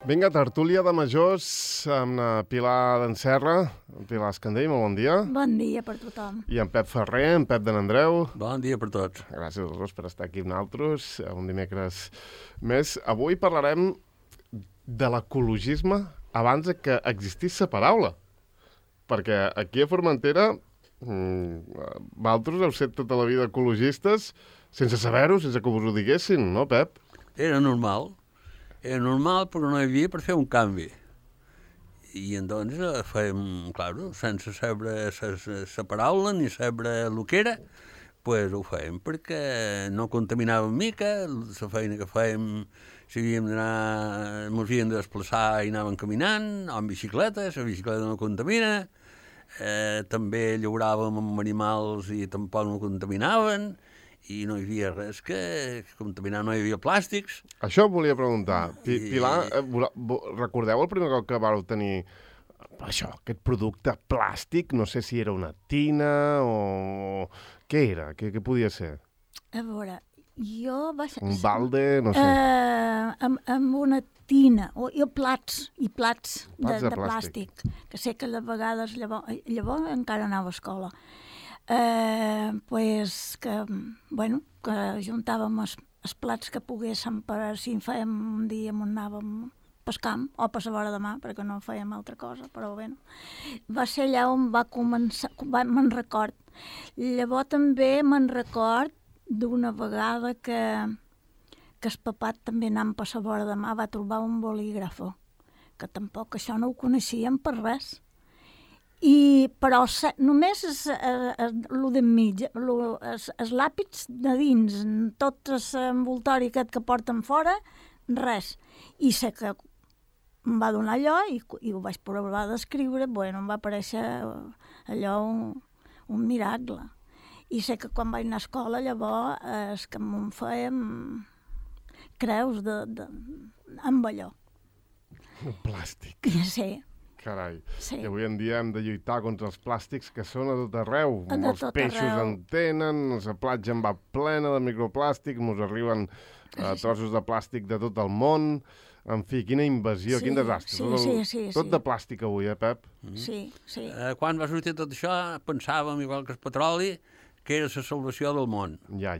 Vinga, tertúlia de majors amb la Pilar d'Enserra, Pilar Escandell, molt bon dia. Bon dia per tothom. I en Pep Ferrer, en Pep de n'Andreu. Bon dia per tots. Gràcies a tots per estar aquí amb nosaltres, un dimecres més. Avui parlarem de l'ecologisme abans que existís la paraula. Perquè aquí a Formentera, vosaltres heu set tota la vida ecologistes sense saber-ho, sense que vos ho diguessin, no, Pep? Era normal perquè no hi havia per fer un canvi. I doncs fèiem, claro, sense saber la paraula ni saber el que era, pues ho fèiem perquè no contaminàvem mica, la feina que fèiem, si havíem d'anar, ens havíem de desplaçar i anàvem caminant, o en bicicleta, la bicicleta no contamina, també llauràvem amb animals i tampoc no contaminaven, i no hi havia res que contaminar, no hi havia plàstics. Això em volia preguntar. Pilar, recordeu el primer cop que vau tenir això, aquest producte plàstic? No sé si era una tina o... Què era? Què podia ser? A veure, jo vaig... Un balde, no sé. Amb una tina, o plats de plàstic. Que sé que a vegades llavors encara anava a escola. Que juntàvem els plats que poguéssim per si fèiem un dia on anàvem pescant o per la vora de mà, perquè no fèiem altra cosa, però bé. Va ser allà on va començar, me'n record. Llavors també me'n record d'una vegada que el papat també anant per la vora de mà va trobar un bolígrafo, que tampoc això no ho coneixíem per res. Però només el d'enmig, els làpits de dins, tot l'envoltori aquest que porten fora, res. I sé que em va donar allò i ho vaig provar d'escriure, em va aparèixer allò un miracle. I sé que quan vaig anar a escola, llavors, que em fèiem creus amb allò. Plàstic. Sí. Carai, sí. I avui en dia hem de lluitar contra els plàstics que són a tot arreu. Els peixos en tenen, la platja en va plena de microplàstic, ens arriben trossos de plàstic de tot el món. En fi, quina invasió, quin desastre. Sí. Tot de plàstic avui, Pep? Sí. Quan va sortir tot això, pensàvem, igual que el petroli, que era la salvació del món. Ja.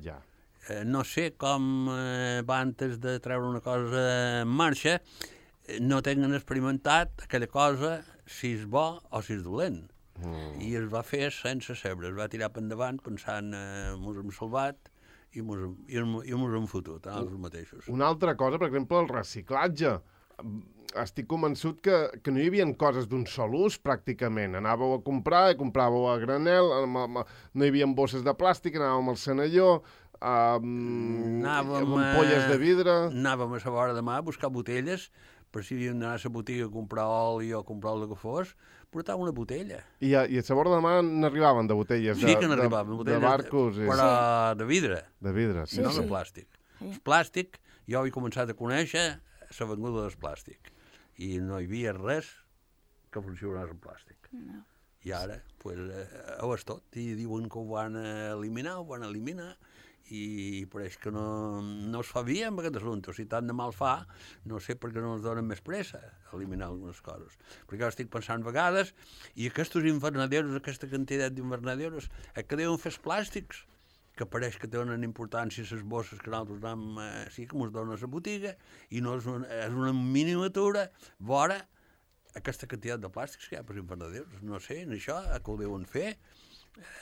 No sé com va antes de treure una cosa en marxa, no tenen experimentat aquella cosa si és bo o si és dolent. I es va fer sense saber, es va tirar per endavant pensant mos hem salvat i mos hem fotut a nosaltres mateixos. Una altra cosa, per exemple, el reciclatge. Estic convençut que no hi havia coses d'un sol ús, pràcticament. Anàveu a comprar, compràveu a granel, no hi havia bosses de plàstic, anàvem al Senalló, amb ampolles de vidre... Anàvem a la vora de mà a buscar botelles, per si havíem d'anar a la botiga a comprar oli o a comprar el que fos, portava una botella. I a la vora de mà n'arribaven de botelles? Sí que n'arribaven, de barcos. Però de vidre. De vidre, sí. No de plàstic. Sí. El plàstic, jo he començat a conèixer la venguda del plàstic. I no hi havia res que funcionés en plàstic. No. I ara, ho és tot. I diuen que ho van eliminar, i pareix que no es fa bé amb aquest assumpte. Si tant de mal fa, no sé per què no ens donen més pressa a eliminar algunes coses. Perquè jo estic pensant vegades, i aquests invernaderos, aquesta quantitat d'invernaderos, que deuen fer els plàstics, que pareix que tenen importància les bosses que nosaltres anem, sí que ens donen a la botiga, i no és una miniatura vora aquesta quantitat de plàstics que hi ha per invernaderos. No sé, en això, que ho deuen fer,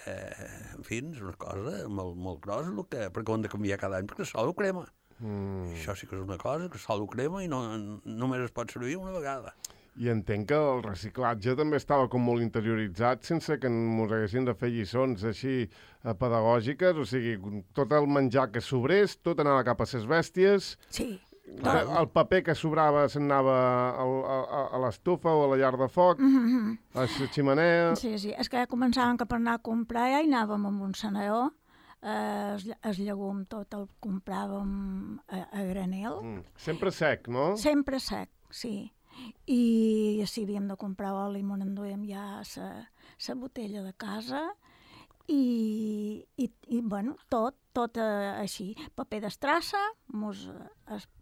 en fi, és una cosa molt grossa, perquè ho han de canviar cada any, perquè el sol ho crema. Això sí que és una cosa, que el sol ho crema i només es pot servir una vegada. I entenc que el reciclatge també estava com molt interioritzat sense que ens haguessin de fer lliçons així pedagògiques, o sigui, tot el menjar que sobrés, tot anava cap a ses bèsties. Sí. El paper que sobrava s'anava a l'estufa o a la llar de foc, a la ximenea... Sí, és que ja començàvem per anar a comprar, ja hi anàvem amb un senador, el llegum tot el compràvem a granel. Sempre sec, no? Sempre sec, sí. I si havíem de comprar oli, ens enduíem ja la botella de casa i tot així. Paper d'estrassa,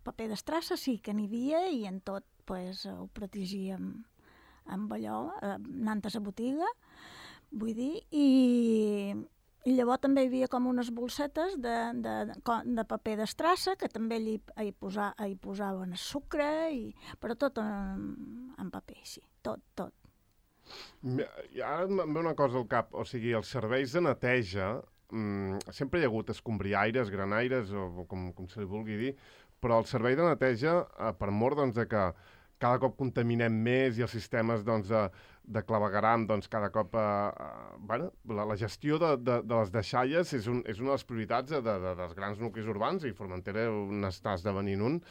paper d'estrassa sí que n'hi havia i en tot pues, ho protegíem amb allò, anant a la botiga, vull dir, i llavors també hi havia com unes bolsetes de paper d'estrassa que també hi posaven sucre, però tot en paper, sí, tot. Ara em ve una cosa al cap, o sigui, els serveis de neteja, sempre hi ha hagut escombriaires, granaires, o com se li vulgui dir, però el servei de neteja, per mort doncs, de que cada cop contaminem més i els sistemes doncs, de clavegueram, doncs, cada cop... bueno, la gestió de les deixalles és una de les prioritats dels grans nuclis urbans, i Formentera n'està esdevenint un.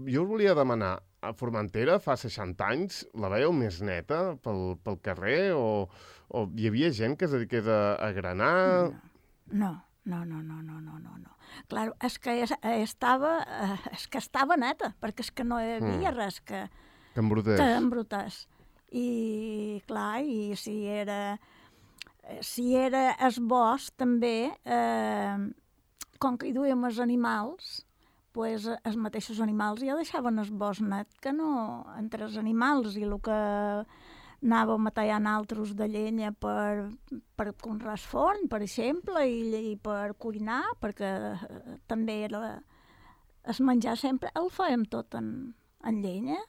Jo us volia demanar, a Formentera fa 60 anys la veieu més neta pel carrer o hi havia gent que es dediqués a granar? No. Claro, és que estava neta, perquè és que no hi havia res que embrutés. I, clar, i si era el bosc, també, com que hi duíem els animals, pues, els mateixos animals ja deixaven el bosc net, que no entre els animals i el que anàvem a tallar altres de llenya per conrear el forn, per exemple, i per cuinar, perquè també era el menjar sempre el fèiem tot en llenya,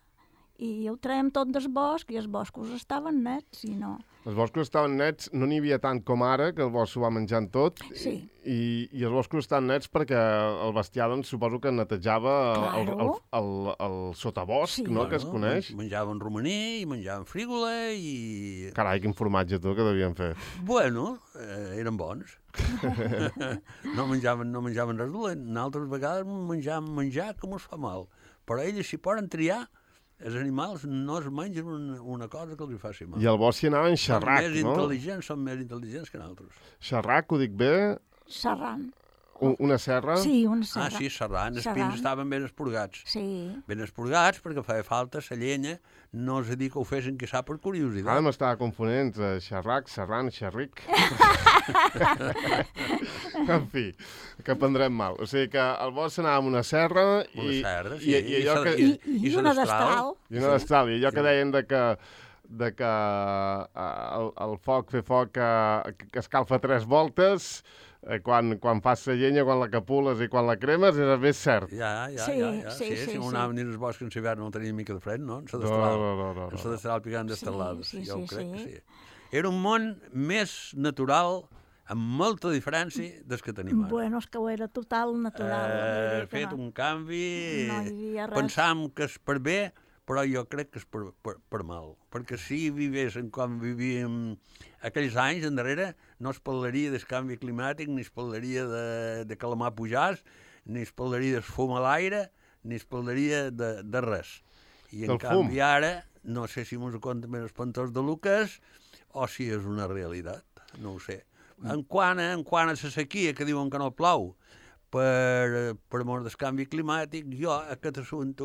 i ho traiem tot del bosc, i els boscos estaven nets, i no... Els boscos estaven nets, no n'hi havia tant com ara, que el bosc s'ho va menjant tot, sí. I els boscos estan nets perquè el bestiar, doncs, suposo que netejava el sotabosc, sí, no?, que es coneix. Menjaven romaní, i menjaven frígola, i... Carai, quin formatge, tu, que devien fer. Bueno, eren bons. No menjaven res dolent. Altres vegades menjaven menjar com us fa mal. Però ells, si poden triar, els animals no es mengen una cosa que els faci mal. I al bosc hi anaven xerrac, no? Són més intel·ligents que nosaltres. Xerrac, ho dic bé? Serrant. Una serra? Sí, una serra. Sí, serrant. Els pins estaven ben esporgats. Sí. Ben esporgats perquè feia falta la llenya. No és a dir que ho fessin que sap per curiositat. Ara m'estava confonent entre xerrac, serrant, xerric. En fi, que prendrem mal. O sigui que al bosc anàvem una serra i una destral. I una destral. I allò que deien de que el foc, fer foc que escalfa 3 voltes, quan fas la llenya, quan la capules i quan la cremes, és més cert. Sí, si anàvem dins els boscs en l'hivern no tenia mica de fred, no? En la destral picant d'estelades. Jo ho crec que sí. Era un món més natural, amb molta diferència des que tenim ara. Bueno, és que ho era total natural. Fet un canvi, no hi havia res. Pensàvem que és per bé, però jo crec que és per mal. Perquè si vivéssim com vivíem aquells anys endarrere, no es parlaria del canvi climàtic, ni es parlaria de que la mà pujàs, ni es parlaria del fum a l'aire, ni es parlaria de res. I en canvi ara, no sé si mos ho compta més espantós de Lucas, o si és una realitat, no ho sé. En quant a la sequia, que diuen que no plou, per mort del canvi climàtic, jo aquest assumpte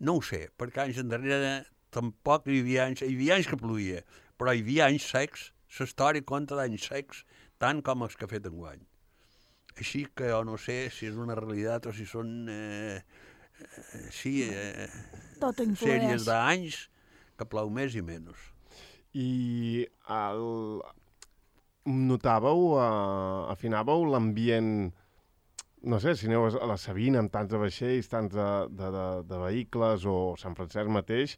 no ho sé, perquè anys endarrere tampoc hi havia anys que plovia, però hi havia anys secs, la història conta d'anys secs, tant com els que ha fet enguany. Així que jo no sé si és una realitat o si són sèries d'anys que plou més i menys. I notàveu, afinàveu l'ambient, no sé, si aneu a la Sabina amb tants de vaixells, tants de vehicles, o Sant Francesc mateix,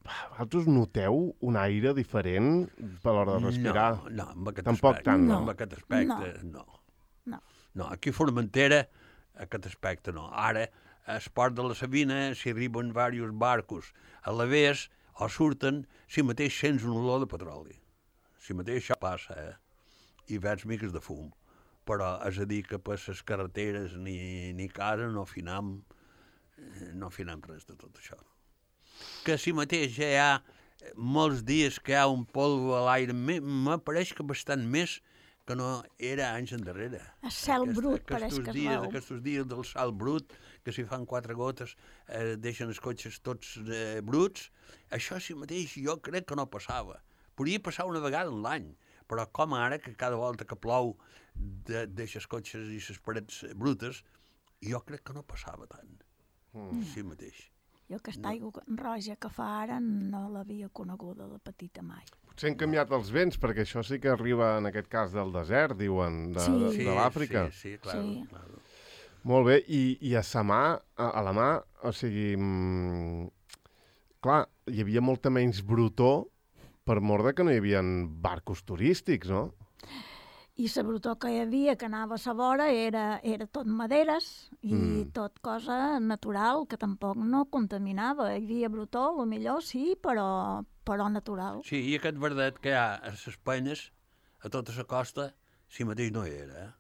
vosaltres noteu un aire diferent per l'hora de respirar? No, amb aquest tampoc aspecte. Tant, no. Amb aquest aspecte, no. Aquí a Formentera, aquest aspecte no. Ara, al port de la Sabina, si arriben diversos barcos a l'avés, o surten, si mateix sents un olor de petroli. Si mateix això passa, i veig miques de fum. Però és a dir que per les carreteres ni casa no afinam res de tot això. Que si mateix ja hi ha molts dies que hi ha un polvo a l'aire, m'apareix que bastant més que no era anys endarrere. El cel brut pareix que es veu. Aquests dies del cel brut, que si fan 4 gotes deixen els cotxes tots bruts, això si mateix jo crec que no passava. Podria passar una vegada en l'any, però com ara, que cada volta que plou deixa els cotxes i les parets brutes, jo crec que no passava tant. Sí mateix. Jo aquesta aigua roja que fa ara no l'havia coneguda de petita mai. Potser han canviat els vents, perquè això sí que arriba, en aquest cas, del desert, diuen, de l'Àfrica. Sí, claro, Sí. claro. Molt bé, i a sa mà, a la mà, o sigui, clar, hi havia molta menys brutó per mort de que no hi havia barcos turístics, no? I la brutó que hi havia, que anava a sa vora, era tot maderes i tot cosa natural, que tampoc no contaminava. Hi havia brutó, millor sí, però natural. Sí, i aquest verdet que hi ha a les penyes, a tota la costa, si mateix no hi era,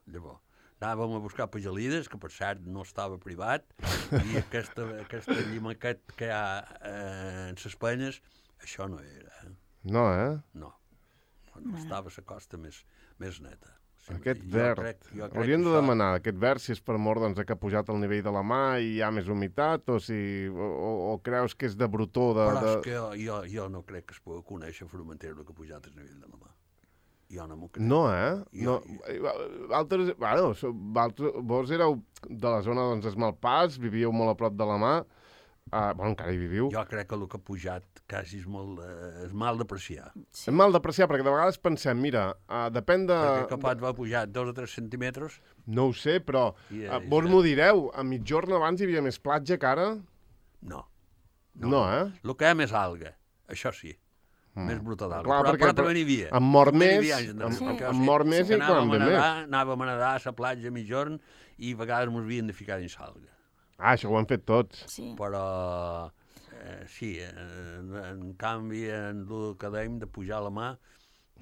Llavors, anàvem a buscar pagelides, que per cert no estava privat, i aquesta llimaquet que hi ha en les penyes, això no era. No, No estava a la costa més neta. Sí, Aquest jo verd. crec Hauríem que de això- demanar aquest verd si és per mort doncs, que ha pujat el nivell de la mà i hi ha més humitat, o creus que és de brutó? Però és que jo no crec que es pugui conèixer Formentera el que ha pujat el nivell de la mà. Jo no m'ho crec. No, Jo- Vos éreu de la zona doncs, d'Esmalpàs, vivíeu molt a prop de la mà, encara hi viviu. Jo crec que el que ha pujat quasi és mal d'apreciar. És mal d'apreciar, perquè de vegades pensem, mira, depèn de... Perquè que pot haver pujat 2 o 3 centímetres. No ho sé, però I vos m'ho direu, a mitjorn abans hi havia més platja que ara? No. No, El que hi ha més alga, això sí. Més bruta d'alga. Clar, perquè però també n'hi havia. em mor També n'hi més, havia anys endarrere, em- perquè, em mor més i quan ve més. Anàvem a nedar a la platja a mitjorn i a vegades ens havien de ficar dins l'alga. Això ho han fet tots. Sí. Però sí, en canvi, en el que dèiem de pujar a la mà,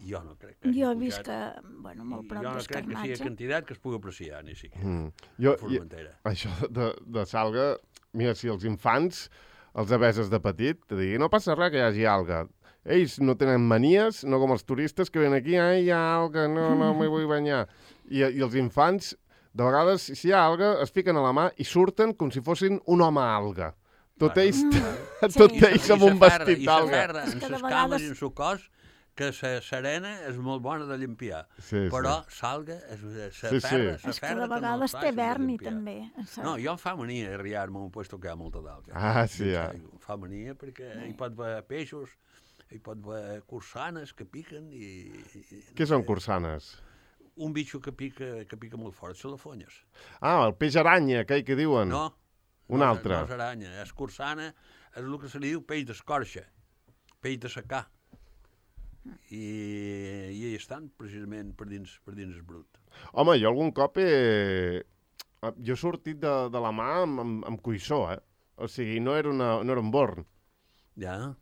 jo no crec que hagi Jo he vist pujat. que, molt prop Jo no crec que sigui d'Escarnatge. quantitat que es pugui apreciar, ni siquiera. Jo, A Formentera. això de salga, mira, si els infants, els aveses de petit, te diguin, no passa res que hi hagi alga. Ells no tenen manies, no com els turistes que venen aquí, ai, hi ha alga, no m'hi vull banyar. I els infants, de vegades, si hi ha alga, es fiquen a la mà i surten com si fossin un home alga. Tot Claro. ells, Sí. tot ells amb un vestit I d'alga. s'aferra És en que de les vegades- cames i en el cos, que la serena és molt bona de limpiar. Sí, Però salga, Sí, sí. És que de vegades té verni, també. No, jo em fa mania arriar-me a un puesto que hi ha molta d'alga. Ah, sí, Dins ja. l'aigua. Em fa mania perquè hi pot haver peixos, hi pot haver cursanes que piquen i... Què són cursanes? Un bitxo que pica molt fort, són les fonyes. El peix aranya, aquell que diuen. No. Un altre. No és aranya, és cursana, és el que se li diu peix d'escorxa, peix de secà. I hi estan precisament per dins el brut. Home, jo algun cop jo he sortit de la mà amb cuissó, O sigui, no era un born. Ja.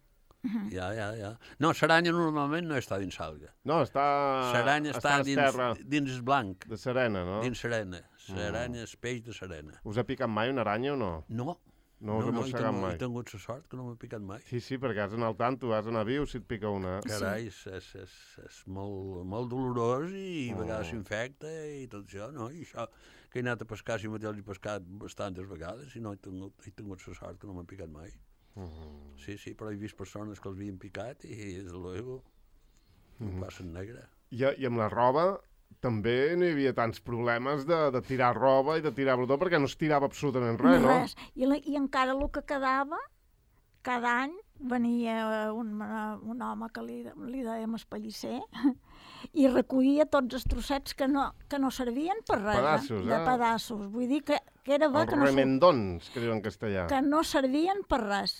No, l'aranya normalment no està dins l'alga. No, L'aranya està a terra dins el blanc, de serena, no? dins serena. L'aranya és peix de serena. Us ha picat mai una aranya o no? No. No us ha mossegat mai? He tingut la sort que no m'ha picat mai. Sí, perquè has d'anar al tanto, has d'anar viu si et pica una. Carai, és molt dolorós i a vegades s'infecta i tot això, no? I això, que he anat a pescar, si mateix he pescat bastantes vegades i no he tingut la sort que no m'ha picat mai. Sí, però he vist persones que els havien picat i, des de luego, ho passen negre. I amb la roba també no hi havia tants problemes de tirar roba i de tirar brutó perquè no es tirava absolutament res, no? Res. I encara el que quedava, cada any venia un home que li dèiem espallisser i recollia tots els trossets que no servien per res. Pedaços, de pedaços. Vull dir que era bo Els que no, remendons, que diuen en castellà. que no servien per res.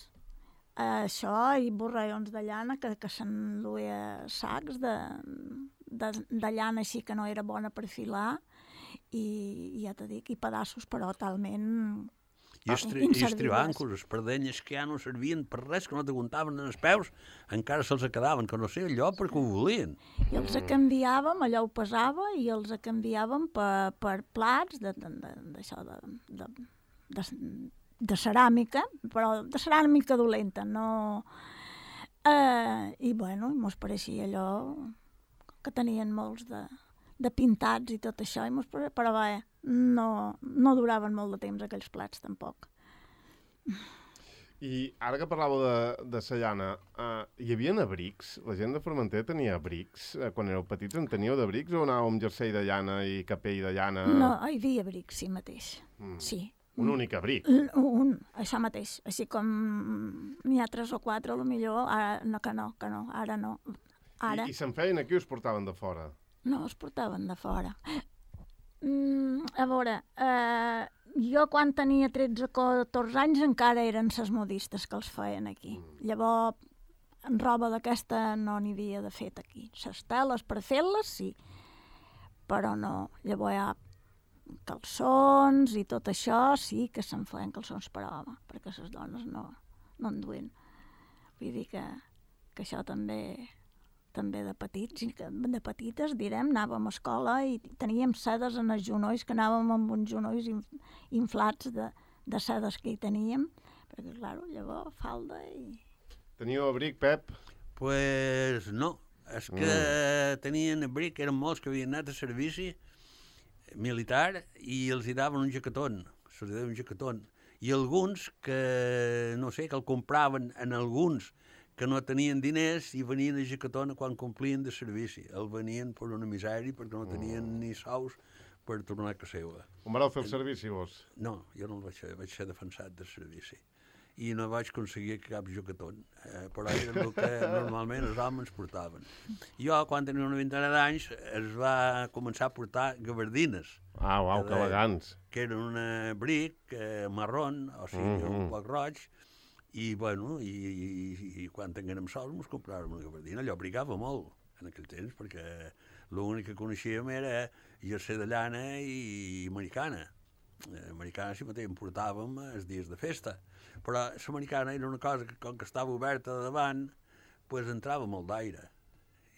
Això i borrallons de llana que s'enduia sacs de llana així que no era bona per filar i ja t'he dit, i pedaços però talment I els tribancos, les perdenyes que ja no servien per res, que no t'aguantaven en els peus, encara se'ls quedaven, que no sé allò perquè ho volien. I els canviàvem, allò ho pesava, i els canviàvem per plats d'això, de ceràmica, però de ceràmica dolenta, no... I bueno, mos pareixia allò que tenien molts de pintats i tot això, però bé, no duraven molt de temps aquells plats tampoc. I ara que parlàveu de sa llana, hi havia abrics? La gent de Formentera tenia abrics? Quan éreu petits en teníeu d'abrics o anàveu amb jersei de llana i capell de llana? No, hi havia abrics, sí mateix. Sí, Un únic abric. Això mateix. Així com n'hi ha 3 o 4, potser ara no, ara no. Ara I se'n feien aquí o es portaven de fora? no es portaven de fora. A veure, jo quan tenia 13 o 14 anys encara eren ses modistes que els feien aquí. Llavors, roba d'aquesta no n'hi havia de fet aquí. Ses teles per fer-les, sí, però no. Llavors hi ha calçons i tot això, sí que se'n feien calçons per home, perquè les dones no en duien. Vull dir que això també de petits, de petites, direm, anàvem a escola i teníem sedes en els genolls, que anàvem amb uns genolls inflats de sedes que hi teníem, perquè, clar, llavors falda i... Teníeu abric, Pep? Pues no, és que tenien abric, eren molts que havien anat a servici militar i els hi daven un jaquetón, se'ls deia un jaquetón. I alguns que, no sé, que el compraven en alguns que no tenien diners i venien a jaquetón quan complien de servici. El venien per una misèria perquè no tenien ni sous per tornar a casa seva. On vareu fer el servici, vos? No, jo no el vaig ser defensat de servici. I no vaig aconseguir cap jaquetón, però era el que normalment els homes portaven. Jo, quan tenia una vintena d'anys, es va començar a portar gabardines. Uau, que elegants. Que eren un abric marrón, o sigui, un poc roig, i, bueno, i quan tinguérem sols ens compràvem una gabardina. Allò brigava molt en aquell temps, perquè l'únic que coneixíem era jersei de llana i americana. Americana sí mateix en portàvem els dies de festa, però l'americana era una cosa que, com que estava oberta de davant, pues entrava molt d'aire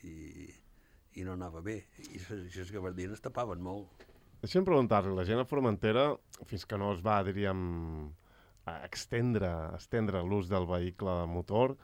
i no anava bé, i les gabardines tapaven molt. Deixa'm preguntar-li, la gent a Formentera, fins que no es va, diríem, estendre l'ús del vehicle de motor,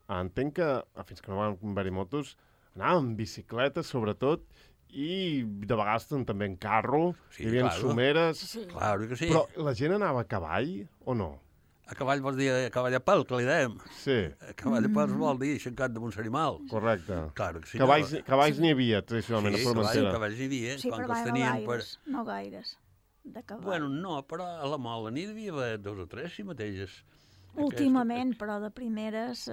entenc que, fins que no van haver-hi motos, anàvem en bicicleta, sobretot, i de vegades també en carro, hi havia someres... Sí. Claro que sí. Però la gent anava a cavall o no? A cavall vols dir a cavall a pèl, que li dèiem. Sí. A cavall a pèl vol dir aixecat damunt l'animal. Correcte. Claro que sí. Cavalls n'hi havia, tradicionalment, a Formentera. Sí, cavalls n'hi havia. Sí, però no gaires, de cavall. Bueno, no, però a la Mola n'hi devia haver 2 o 3, si mateixes. Últimament, però de primeres...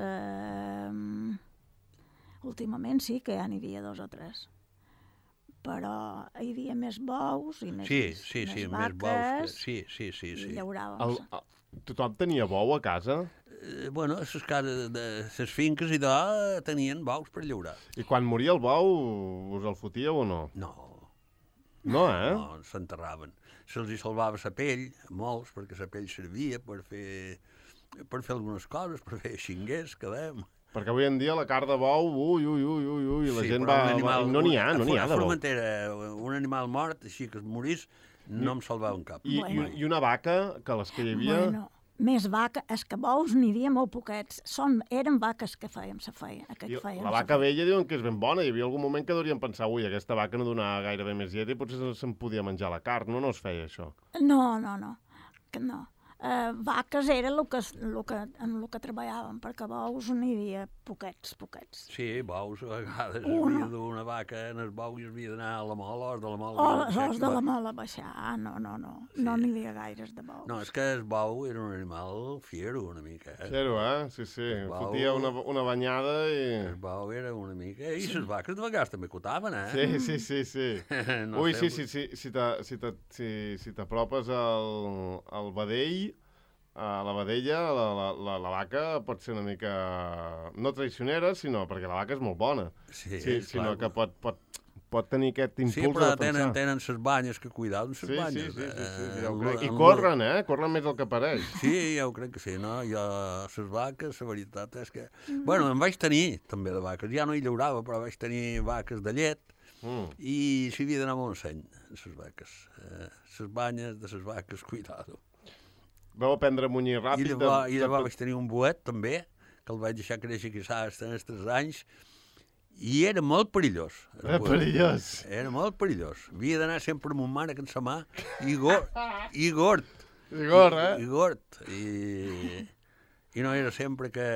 Últimament sí que ja n'hi havia 2 o 3. Però hi havia més bous i més més bous. Sí. I llauràvem. Tothom tenia bou a casa? Bueno, les finques i tenien bous per llaurar. I quan moria el bou, us el fotíeu o no? No. No, eh? No, s'enterraven. Se'ls hi salvava la pell, molts, perquè la pell servia per fer algunes coses, per fer xinguers, que dèiem. Perquè avui en dia la carn de bou, la gent va... No n'hi ha de bou. A Formentera, un animal mort, així que es morís, no em salvaven cap. I una vaca, que les que hi havia... Bueno, més vaca, és que bous n'hi havia molt poquets. Eren vaques que fèiem, La vaca vella diuen que és ben bona. Hi havia algun moment que hauríem pensar, aquesta vaca no donava gairebé més llet i potser se'n podia menjar la carn. No es feia això? No. Que no. Vaques era en el que treballàvem, perquè bous n'hi havia poquets. Sí, bous, a vegades havia d'una vaca en el bou i havia d'anar a la mola, os de la mola... Os de la mola a baixar, no. No n'hi havia gaires de bous. No, és que el bou era un animal fiero, una mica. Fiero, Sí. Fotia una banyada i... El bou era una mica... I les vaques de vegades també cotaven, Sí. Ui, si t'apropes al vedell, a la vedella, la vaca pot ser una mica... no traicionera, sinó perquè la vaca és molt bona. Sinó que pot tenir aquest impuls de defensar. Sí, però tenen ses banyes que cuidar amb ses banyes. I corren, corren més del que pareix. Sí, ja ho crec que sí, no? Jo, ses vaques, la veritat és que... Bueno, en vaig tenir, també, de vaques. Ja no hi llaurava, però vaig tenir vaques de llet i s'hi havia d'anar molt seny, ses vaques. Ses banyes de ses vaques, cuidado. Vau aprendre a munyir ràpid. I llavors vaig tenir un boet, també, que el vaig deixar créixer quizás als 3 anys, i era molt perillós. Era perillós. Era molt perillós. Havia d'anar sempre amb un mànec en sa mà i gord. I gord, I gord. I no era sempre que...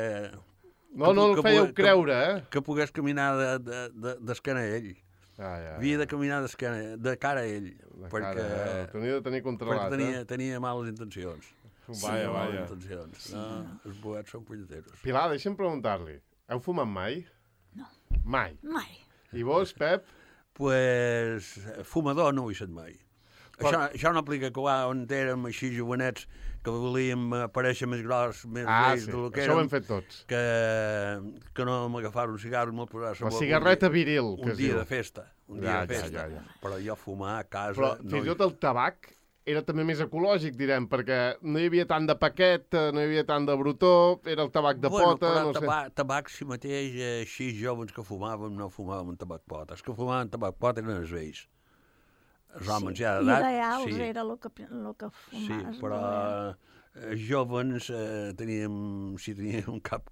No el fèieu creure, que pogués caminar d'esquena a ell. Havia de caminar de cara a ell, perquè tenia de tenir controlat, tenia males intencions. Vaja. Males intencions. Sí, els boets són punyeteros. Pilar, deixa'm preguntar-li, heu fumat mai? No. Mai? Mai. I vos, Pep? Pues, fumador no ho he set mai. Això no aplica que on érem així jovenets que volíem aparèixer més gros, més vells del que érem. Això ho hem fet tots. Que no m'agafar un cigarro i me'l posar a la cigarreta viril, que un dia de festa. Un dia de festa. Ja. Però jo fumar a casa... Però fins i tot el tabac era també més ecològic, direm, perquè no hi havia tant de paquet, no hi havia tant de brutó, era el tabac de pota... Bueno, però tabac si mateix, així joves que fumàvem, no fumàvem tabac pota. Els que fumaven tabac pota eren els vells. Els homes ja d'edat... Ideals era el que fumaves. Sí, però jovens teníem cap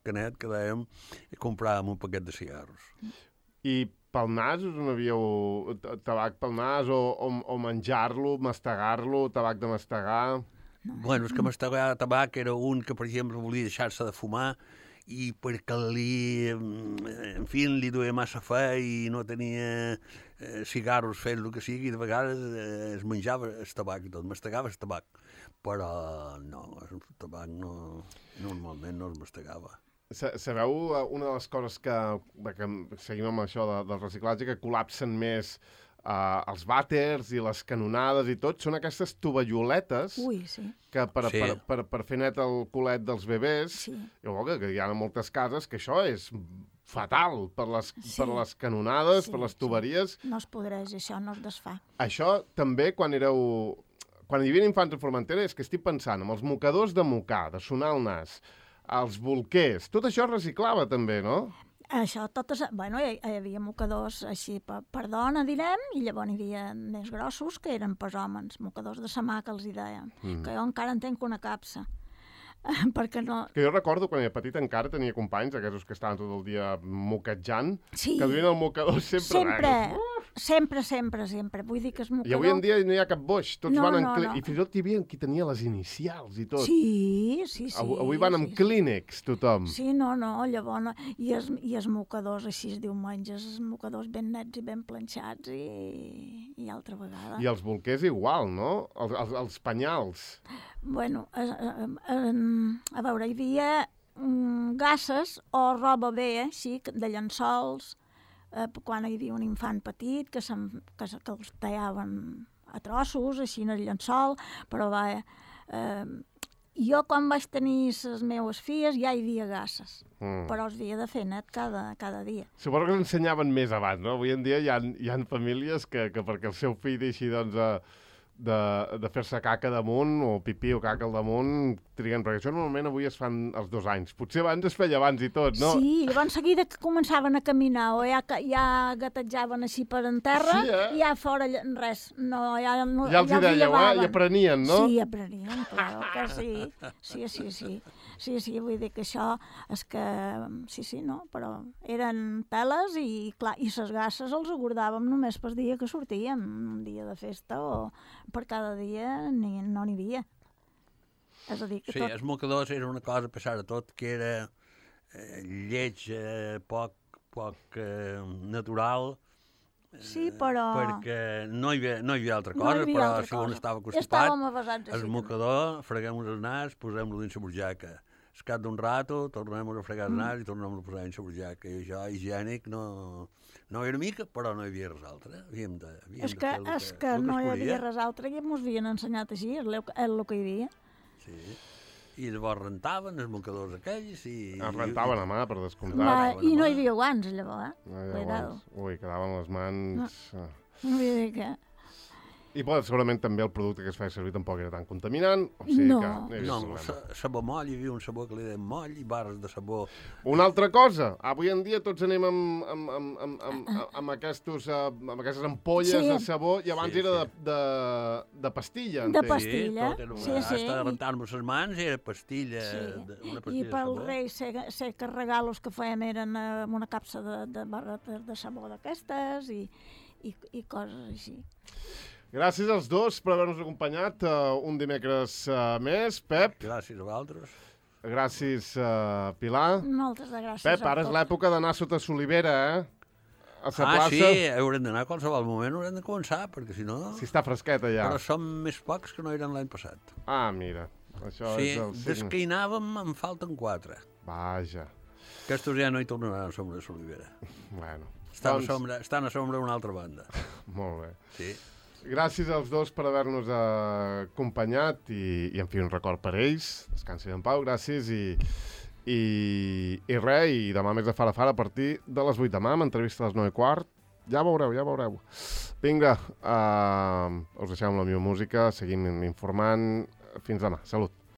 canet que dèiem i compràvem un paquet de cigarros. I pel nas us n'havíeu tabac pel nas o menjar-lo, mastegar-lo, tabac de mastegar? Bueno, és que mastegar tabac era un que, per exemple, volia deixar-se de fumar i perquè li duia massa fe i no tenia cigarros fent el que sigui, de vegades es menjava el tabac i tot, mastegava el tabac. Però no, el tabac normalment no es mastegava. Sabeu una de les coses que seguim amb això del reciclatge, que col·lapsen més els vàters i les canonades i tot, són aquestes tovalloletes que per fer net el culet dels bebès, que hi ha moltes cases que això és fatal per les canonades, per les tuberies. No es podreix, això no es desfà. Això també quan hi havia infants a Formentera, és que estic pensant en els mocadors de mocar, de sonar el nas, els bolquers, tot això es reciclava també, no? Això, bueno, hi havia mocadors així per dona, direm, i llavors hi havia més grossos que eren per homes, mocadors de sa mà que els hi deien, que jo encara en tenc una capsa. Perquè no... Que jo recordo quan era petit encara tenia companys, aquests que estaven tot el dia mocatjant, que duien el mocador sempre. Vull dir que és mocador... I avui en dia no hi ha cap boix, tots van amb... I fins i tot hi havia qui tenia les inicials i tot. Sí. Avui van amb Kleenex, tothom. Sí, llavors... I els mocadors, així es diu menges, els mocadors ben nets i ben planxats i altra vegada. I els bolquers igual, no? Els penyals. Bueno, a veure, hi havia gasses o roba bé, així, de llençols, quan hi havia un infant petit que els tallaven a trossos, així en el llençol, però jo quan vaig tenir les meves filles ja hi havia gasses, però els havia de fer net cada dia. Suposo que l'ensenyaven més abans, no? Avui en dia hi ha famílies que perquè el seu fill deixi, doncs, de fer-se caca damunt, o pipí o caca al damunt, triguen, perquè això normalment avui es fan als 2 anys. Potser abans es feia abans i tot, no? Sí, llavors seguida que començaven a caminar o ja gatejaven així per en terra, i ja fora res. Ja els hi dèieu, i aprenien, no? Sí, aprenien, clar que sí. Sí, vull dir que això és que... Sí, no, però eren peles i, clar, i ses gasses els guardàvem només per dia que sortíem, un dia de festa o per cada dia no n'hi havia. És a dir, que els mocadors era una cosa, a pesar de tot, que era lleig, poc natural. Sí, però... Perquè no hi havia altra cosa, però si un estava constipat, el mocador, freguem el nas, posem-lo dins la burjaca. Al cap d'un rato, tornem a fregar el nas i tornem a posar dins la burjaca. I això, higiènic, no era mica, però no hi havia res altre. És que no hi havia res altre, i ens havien ensenyat així, és el que hi havia. Sí. I llavors rentaven els mocadors aquells i... Es rentaven a mà, per descomptat. I no hi havia guants, llavors, Ui, quedaven les mans... No vull dir que... I segurament també el producte que es feia servir tampoc era tan contaminant. No, sabó moll, hi havia un sabó que li deien moll i barres de sabó. Una altra cosa, avui en dia tots anem amb aquestes ampolles de sabó i abans era de pastilla. De pastilla, sí. Hasta rentar-nos les mans era pastilla. I pel rei sé que regalos que fèiem eren una capsa de barretes de sabó d'aquestes i coses així. Gràcies als dos per haver-nos acompanyat un dimecres més. Pep. Gràcies a vosaltres. Gràcies, Pilar. Moltes gràcies. Pep, ara és l'època d'anar sota solivera, a la plaça... Sí, haurem d'anar a qualsevol moment, haurem de començar, perquè si no... Si està fresqueta ja. Però som més pocs que no eren l'any passat. Ah, mira, això Sí, és el des signe. que hi anàvem en falten 4. Vaja, Aquestos ja no hi tornaran a sombra de l'Olivera. bueno. Estan a sombra una altra banda. Molt bé. Sí. Gràcies als dos per haver-nos acompanyat i en fi, un record per ells. Descansin en pau, gràcies i res, i demà més de Fara Fara a partir de les 8 demà, amb entrevista a les 9:15. Ja veureu. Vinga, us deixem amb la meva música, seguim informant. Fins demà. Salut.